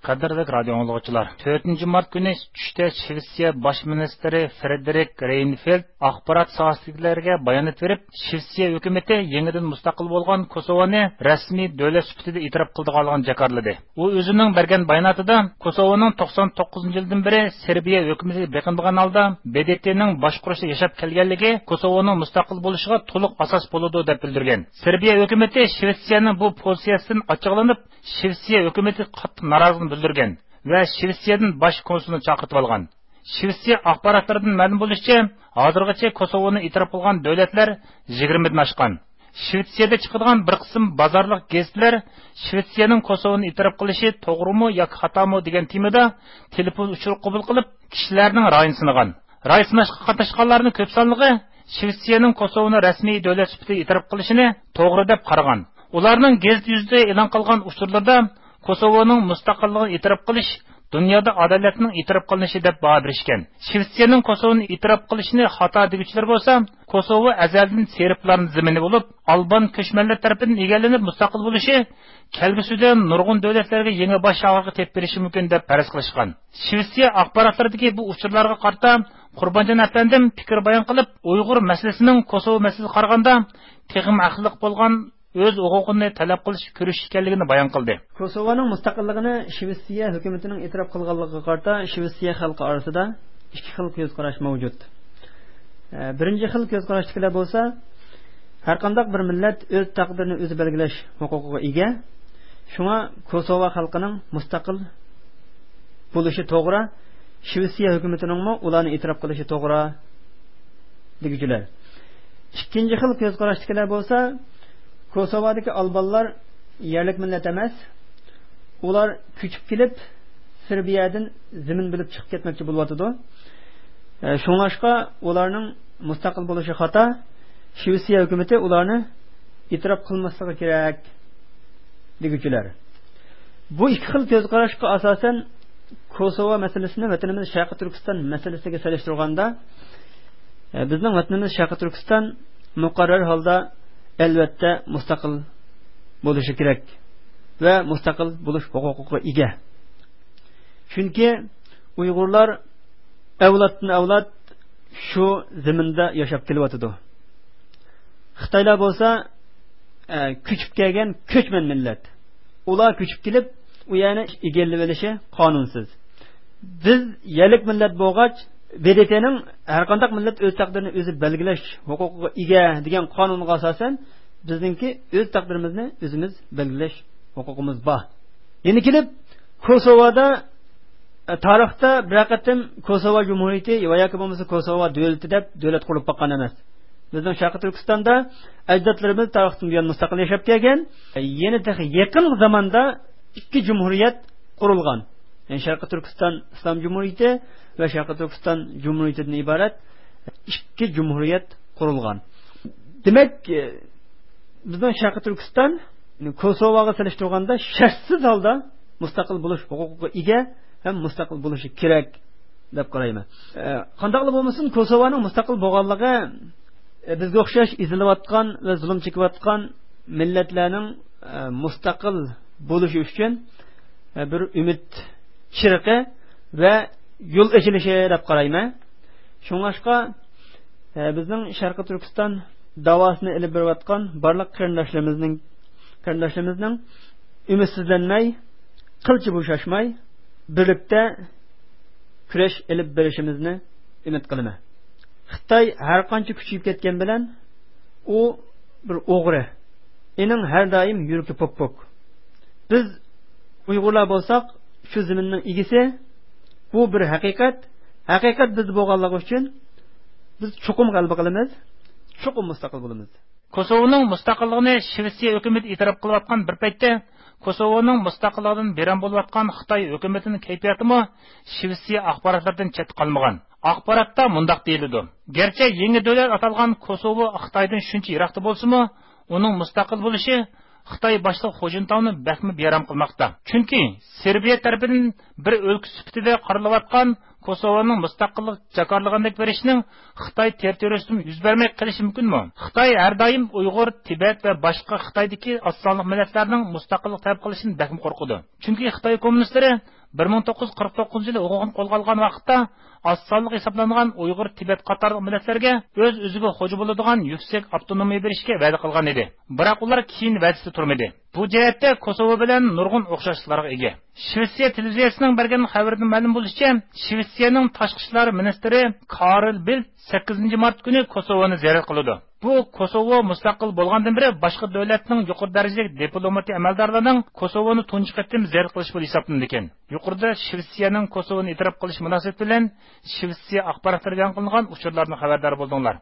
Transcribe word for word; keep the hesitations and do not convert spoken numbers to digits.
قەدىرلىك رادىيو ئاڭلىغۇچىلار، تۆتىنچى مارت كۈنى چۈشتە شىۋېتسىيە باش مىنىستىرى فرېدېرىك رېينفېلد ئاخبارات ساھەسىدىكىلەرگە بايانات بېرىپ، شىۋېتسىيە ھۆكۈمىتى يېڭىدىن مۇستەقىل بولغان كوسوۋونى رەسمىي دۆلەت سۈپىتىدە ئېتىراپ قىلىدىغانلىقىنى جاكارلىدى. ئۇ ئۆزىنىڭ بەرگەن باياناتىدا كوسوۋونىڭ توقسان توققۇزىنچى يىلدىن بېرى سېربىيە ھۆكۈمىتىگە بېقىنىدىغان ھالدا ب د ت نىڭ باشقۇرۇشىدا ياشاپ كەلگەنلىكى كوسوۋونىڭ مۇستەقىل بولۇشىغا تولۇق ئاساس بولىدۇ، دەپ بىلدۈرگەن. سېربىيە ھۆكۈمىتى شىۋېتسىيەنىڭ بۇ پوزىتسىيەسىدىن ئاچچىقلىنىپ، شىۋېتسىيە ھۆكۈمىتىگە قاتتىق نارازىلىقىنى بىلدۈرگەن ۋە شىۋېتسىيەدىن باش كونسۇلنى چاقىرتىۋالغان. شىۋېتسىيە ئاخباراتلىرىدىن مەلۇم بولۇشىچە، ھازىرغىچە كوسوۋونى ئېتىراپ قىلغان دۆلەتلەر يىگىرمىدىن ئاشقان. شىۋېتسىيەدە چىقىدىغان بىر قىسىم بازارلىق گېزىتلەر شىۋېتسىيەنىڭ كوسوۋونى ئېتىراپ قىلىشى توغرىمۇ ياكى خاتامۇ دېگەن تېمىدا تېلېفون ئۇچۇرى قوبۇل قىلىپ، كىشىلەرنىڭ رايىنى سىنىغان. راي سىناشقا قاتناشقانلارنىڭ كۆپ سانلىقى شىۋېتسىيەنىڭ كوسوۋونى رەسمىي دۆلەت سۈپىتىدە ئېتىراپ قىلىشىنى توغرا دەپ قارىغان. ئۇلارنىڭ گېزىت يۈزىدە ئېلان قىلغان ئۇچۇرلىرىدا كوسوۋونىڭ مۇستەقىللىقىنى ئېتىراپ قىلىش دۇنيادا ئادالەتنىڭ ئېتىراپ قىلىنىشى دەپ باھا بېرىشكەن. شىۋېتسىيەنىڭ كوسوۋونى ئېتىراپ قىلىشىنى خاتا دېگۈچىلەر بولسا، كوسوۋو ئەزەلدىن سېربلارنىڭ زېمىنى بولۇپ، ئالبان كۆچمەنلەر تەرىپىدىن ئىگىلىنىپ مۇستەقىل بولۇشى كەلگۈسىدە نۇرغۇن دۆلەتلەرگە يېڭى باش ئاغرىقى تېپىپ بېرىشى مۇمكىن دەپ پەرەز قىلىشقان. شىۋېتسىيە ئاخباراتلىرىدىكى بۇ ئۇچۇرلارغا قارىتا قۇربانجان ئەپەندىم پىكىر بايان قىلىپ، ئۇيغۇر مەسىلىسىنىڭ كوسوۋو مەسىلىسىگە قارىغاندا تېخىمۇ ھەقلىق بولغان ئۆز ھوقۇقىنى تەلەپ قىلىش كۈرىشى ئىكەنلىكىنى بايان قىلدى. كوسوۋونىڭ مۇستەقىللىقىنى شىۋېتسىيە ھۆكۈمىتىنىڭ ئېتىراپ قىلغانلىقىغا قارىتا شىۋېتسىيە خەلقى ئارىسىدا ئىككى خىل كۆز قاراش مەۋجۇت. ئە، بىرىنچى خىل كۆز قاراشتىكىلەر بولسا، ھەرقانداق بىر مىللەت ئۆز تەقدىرىنى ئۆزى بەلگىلەش ھوقۇقىغا ئىگە. شۇڭا كوسوۋا خەلقىنىڭ مۇستەقىل بولۇشى توغرا، شىۋېتسىيە ھۆكۈمىتىنىڭمۇ ئۇلارنى ئېتىراپ قىلىشى توغرا دېگۈچىلەر. ئىككىنچى خىل كۆز قاراشتىكىلەر بولسا، كوسوۋادىكى ئالبانلار يەرلىك مىللەت ئەمەس، ئۇلار كۆچۈپ كېلىپ، سېربىيەدىن زېمىن بۆلۈپ چىقىپ كەتمەكچى بولۇۋاتىدۇ. ئە، شۇڭلاشقا ئۇلارنىڭ مۇستەقىل بولۇشى خاتا، شىۋېتسىيە ھۆكۈمىتى ئۇلارنى ئېتىراپ قىلماسلىقى كېرەك دېگۈچىلەر. بۇ ئىككى خىل كۆز قاراشقا ئاساسەن، كوسوۋا مەسىلىسىنى ۋەتىنىمىز شەرقىي تۈركىستان مەسىلىسىگە سېلىشتۇرغاندا، ئە، بىزنىڭ ۋەتىنىمىز شەرقىي تۈركىستان مۇقەررەر ھالدا ئەلۋەتتە مۇستەقىل بولۇشى كېرەك ۋە مۇستەقىل بولۇش ھوقۇقىغا ئىگە. چۈنكى ئۇيغۇرلار ئەۋلادتىن ئەۋلاد شۇ زېمىندا ياشاپ كېلىۋاتىدۇ. خىتايلار بولسا، ئە، كۆچۈپ كەلگەن كۆچمەن مىللەت. ئۇلار كۆچۈپ كېلىپ، ئۇ يەرنى ئىگىلىۋېلىشى قانۇنسىز. بىز يەرلىك مىللەت بولغاچ، ب د ت نىڭ ھەرقانداق مىللەت ئۆز تەقدىرىنى ئۆزى بەلگىلەش ھوقۇقىغا ئىگە دېگەن قانۇنغا ئاساسەن، بىزنىڭكى ئۆز تەقدىرىمىزنى ئۆزىمىز بەلگىلەش ھوقۇقىمىز بار. يەنە كېلىپ، كوسوۋادا، ئە، تارىختا بىرەر قېتىم كوسوۋا جۇمھۇرىيىتى ۋە ياكى بولمىسا كوسوۋا دۆلىتى دەپ دۆلەت قۇرۇلۇپ باققان ئەمەس. بىزنىڭ شەرقىي تۈركىستاندا ئەجدادلىرىمىز تارىختىن بۇيان مۇستەقىل ياشاپ كەلگەن. يەنە تېخى يېقىنقى زاماندا ئىككى جۇمھۇرىيەت قۇرۇلغان. يەنى شەرقىي تۈركىستان ئىسلام جۇمھۇرىيىتى ۋە شەرقىي تۈركىستان جۇمھۇرىيىتىدىن ئىبارەت ئىككى جۇمھۇرىيەت قۇرۇلغان. دېمەك، بىزنىڭ شەرقىي تۈركىستان كوسوۋاغا سېلىشتۇرغاندا شەرتسىز ھالدا مۇستەقىل بولۇش ھوقۇقىغا ئىگە ھەم مۇستەقىل بولۇشى كېرەك دەپ قارايمەن. ئە، قانداقلا بولمىسۇن، كوسوۋانىڭ مۇستەقىل بولغانلىقى، ئە، بىزگە ئوخشاش ئېزىلىۋاتقان ۋە زۇلۇم چېكىۋاتقان مىللەتلەرنىڭ، ئە، مۇستەقىل بولۇشى ئۈچۈن، ئە، بىر ئۈمىد چىرىقى ۋە يول ئېچىلىشى دەپ قارايمەن. شۇڭلاشقا، ئە، بىزنىڭ شەرقىي تۈركىستان داۋاسىنى ئېلىپ بېرىۋاتقان بارلىق قېرىنداشلىرىمىزنىڭ، قېرىنداشلىرىمىزنىڭ ئۈمىدسىزلەنمەي، قىلچە بوشاشماي، بىرلىكتە كۈرەش ئېلىپ بېرىشىمىزنى ئۈمىد قىلىمەن. خىتاي ھەر قانچە كۈچىيىپ كەتكەن بىلەن، ئۇ بىر ئوغرى. ئېنىڭ ھەر دائىم يۈرىكى پوك-پوك. بىز ئۇيغۇرلار بولساق، شۇ زېمىننىڭ ئىگىسى. بۇ بىر ھەقىقەت. ھەقىقەت بىزدە بولغانلىقى ئۈچۈن بىز چوقۇم غەلىبە قىلىمىز، چوقۇم مۇستەقىل بولىمىز. كوسوۋونىڭ مۇستەقىللىقىنى شىۋېتسىيە ھۆكۈمىتى ئېتىراپ قىلىۋاتقان بىر پەيتتە، كوسوۋونىڭ مۇستەقىللىقىدىن بىرەم بولۇۋاتقان خىتاي ھۆكۈمىتىنىڭ كەيپىياتىمۇ شىۋېتسىيە ئاخباراتلىرىدىن چەتتە قالمىغان. ئاخباراتتا مۇنداق دېيىلىدۇ: گەرچە يېڭى دۆلەت ئاتالغان كوسوۋو خىتايدىن شۇنچە يىراقتا بولسىمۇ، ئۇنىڭ مۇستەقىل بولۇشى خىتاي باشلىق خۇجىنتاۋنى بەكمۇ بىئارام قىلماقتا. چۈنكى سېربىيە تەرىپىدىن بىر ئۆلكە سۈپىتىدە قارىلىۋاتقان كوسوۋونىڭ مۇستەقىللىق جاكارلىغاندەك بېرىشنىڭ خىتاي تېررىتورىيىسىدىمۇ يۈز بەرمەي قېلىشى مۇمكىنمۇ؟ خىتاي ھەر دائىم ئۇيغۇر، تىبەت ۋە باشقا خىتايدىكى ئاز سانلىق مىللەتلەرنىڭ مۇستەقىللىق تەلەپ قىلىشىدىن بەكمۇ قورقىدۇ. چۈنكى خىتاي كوممۇنىستلىرى بىر مىڭ توققۇز يۈز قىرىق توققۇزىنچى يىلى ھوقۇقىنى قولغا ئالغان ۋاقىتتا ئاز سانلىق ھېسابلانغان ئۇيغۇر، تىبەت قاتارلىق مىللەتلەرگە ئۆز-ئۆزىگە خوجا بولىدىغان يۈكسەك ئاپتونومىيە بېرىشكە ۋەدە قىلغان ئىدى. بىراق ئۇلار كېيىن ۋەدىسىدە تۇرمىدى. بۇ جەھەتتە كوسوۋو بىلەن نۇرغۇن ئوخشاشلىقلارغا ئىگە. شىۋېتسىيە تېلېۋىزىيەسىنىڭ بەرگەن خەۋىرىدىن مەلۇم بولۇشىچە، شىۋېتسىيەنىڭ تاشقى ئىشلار مىنىستىرى كارل بىلت سەككىزىنچى مارت كۈنى كوسوۋونى زىيارەت قىلىدۇ. بۇ كوسوۋو مۇستەقىل بولغاندىن بېرى باشقا دۆلەتنىڭ يۇقىرى دەرىجىلىك دىپلوماتىك ئەمەلدارلىرىنىڭ كوسوۋونى تۇنجى قېتىم زىيارەت قىلىشى بولۇپ ھېسابلىنىدىكەن. يۇقىرىدا شىۋېتسىيەنىڭ كوسوۋونى ئېتىراپ قىلىشى مۇناسىۋىتى بىلەن شىۋېتسىيە ئاخباراتلىرىدا ئېلان قىلىنغان ئۇچۇرلاردىن خەۋەردار بولدۇڭلار.